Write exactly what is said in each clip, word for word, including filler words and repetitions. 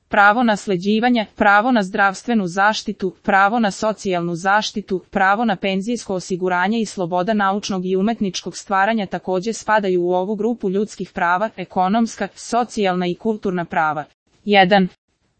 pravo nasleđivanja, pravo na zdravstvenu zaštitu, pravo na socijalnu zaštitu, pravo na penzijsko osiguranje i sloboda naučnog i umetničkog stvaranja također spadaju u ovu grupu ljudskih prava, ekonomska, socijalna i kulturna prava. jedan.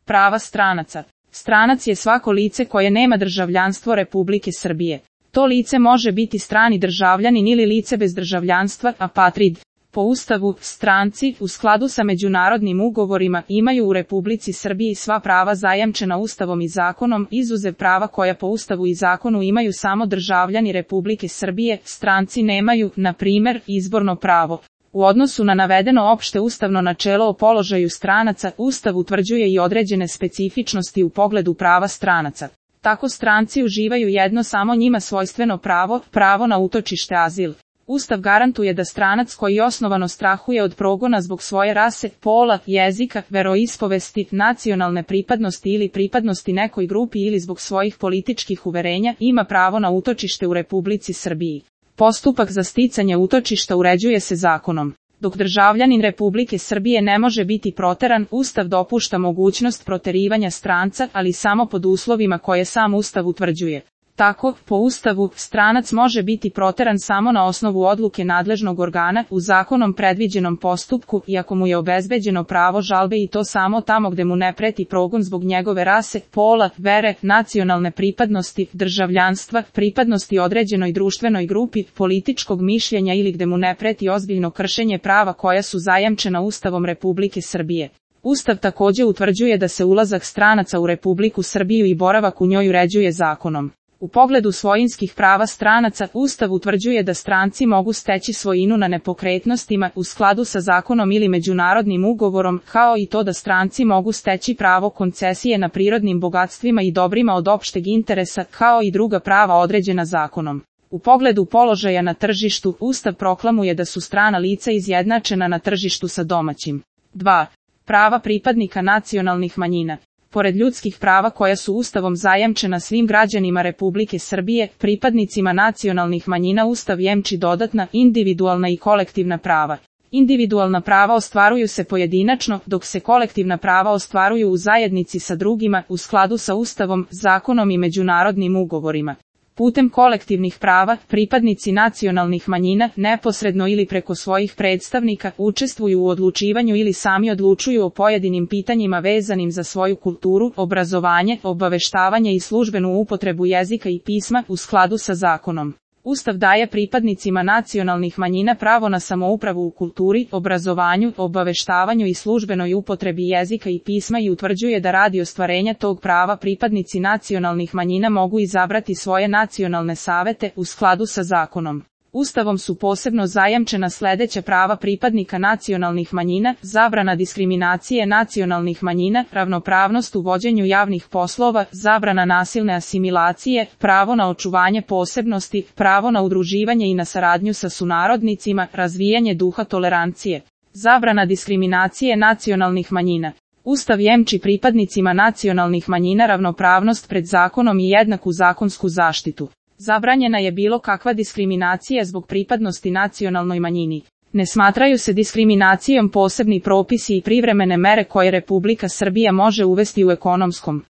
Prava stranaca. Stranac je svako lice koje nema državljanstvo Republike Srbije. To lice može biti strani državljanin ili lice bez državljanstva, apatrid. Po Ustavu, stranci, u skladu sa međunarodnim ugovorima, imaju u Republici Srbiji sva prava zajamčena Ustavom i zakonom, izuzev prava koja po Ustavu i zakonu imaju samo državljani Republike Srbije, stranci nemaju, na primjer, izborno pravo. U odnosu na navedeno opšte ustavno načelo o položaju stranaca, Ustav utvrđuje i određene specifičnosti u pogledu prava stranaca. Tako stranci uživaju jedno samo njima svojstveno pravo, pravo na utočište azil. Ustav garantuje da stranac koji osnovano strahuje od progona zbog svoje rase, pola, jezika, veroispovesti, nacionalne pripadnosti ili pripadnosti nekoj grupi ili zbog svojih političkih uverenja, ima pravo na utočište u Republici Srbiji. Postupak za sticanje utočišta uređuje se zakonom. Dok državljanin Republike Srbije ne može biti proteran, Ustav dopušta mogućnost proterivanja stranca, ali samo pod uslovima koje sam Ustav utvrđuje. Tako, po Ustavu, stranac može biti proteran samo na osnovu odluke nadležnog organa u zakonom predviđenom postupku i ako mu je obezbeđeno pravo žalbe i to samo tamo gde mu ne preti progon zbog njegove rase, pola, vere, nacionalne pripadnosti, državljanstva, pripadnosti određenoj društvenoj grupi, političkog mišljenja ili gde mu ne preti ozbiljno kršenje prava koja su zajamčena Ustavom Republike Srbije. Ustav također utvrđuje da se ulazak stranaca u Republiku Srbiju i boravak u njoj uređuje zakonom. U pogledu svojinskih prava stranaca, Ustav utvrđuje da stranci mogu steći svojinu na nepokretnostima u skladu sa zakonom ili međunarodnim ugovorom, kao i to da stranci mogu steći pravo koncesije na prirodnim bogatstvima i dobrima od opšteg interesa, kao i druga prava određena zakonom. U pogledu položaja na tržištu, Ustav proklamuje da su strana lica izjednačena na tržištu sa domaćim. dva. Prava pripadnika nacionalnih manjina. Pored ljudskih prava koja su Ustavom zajamčena svim građanima Republike Srbije, pripadnicima nacionalnih manjina Ustav jemči dodatna, individualna i kolektivna prava. Individualna prava ostvaruju se pojedinačno, dok se kolektivna prava ostvaruju u zajednici sa drugima, u skladu sa Ustavom, zakonom i međunarodnim ugovorima. Putem kolektivnih prava, pripadnici nacionalnih manjina, neposredno ili preko svojih predstavnika, učestvuju u odlučivanju ili sami odlučuju o pojedinim pitanjima vezanim za svoju kulturu, obrazovanje, obaveštavanje i službenu upotrebu jezika i pisma, u skladu sa zakonom. Ustav daje pripadnicima nacionalnih manjina pravo na samoupravu u kulturi, obrazovanju, obaveštavanju i službenoj upotrebi jezika i pisma i utvrđuje da radi ostvarenja tog prava pripadnici nacionalnih manjina mogu izabrati svoje nacionalne savete u skladu sa zakonom. Ustavom su posebno zajamčena sledeća prava pripadnika nacionalnih manjina: zabrana diskriminacije nacionalnih manjina, ravnopravnost u vođenju javnih poslova, zabrana nasilne asimilacije, pravo na očuvanje posebnosti, pravo na udruživanje i na saradnju sa sunarodnicima, razvijanje duha tolerancije. Zabrana diskriminacije nacionalnih manjina. Ustav jemči pripadnicima nacionalnih manjina ravnopravnost pred zakonom i jednaku zakonsku zaštitu. Zabranjena je bilo kakva diskriminacija zbog pripadnosti nacionalnoj manjini. Ne smatraju se diskriminacijom posebni propisi i privremene mere koje Republika Srbija može uvesti u ekonomskom,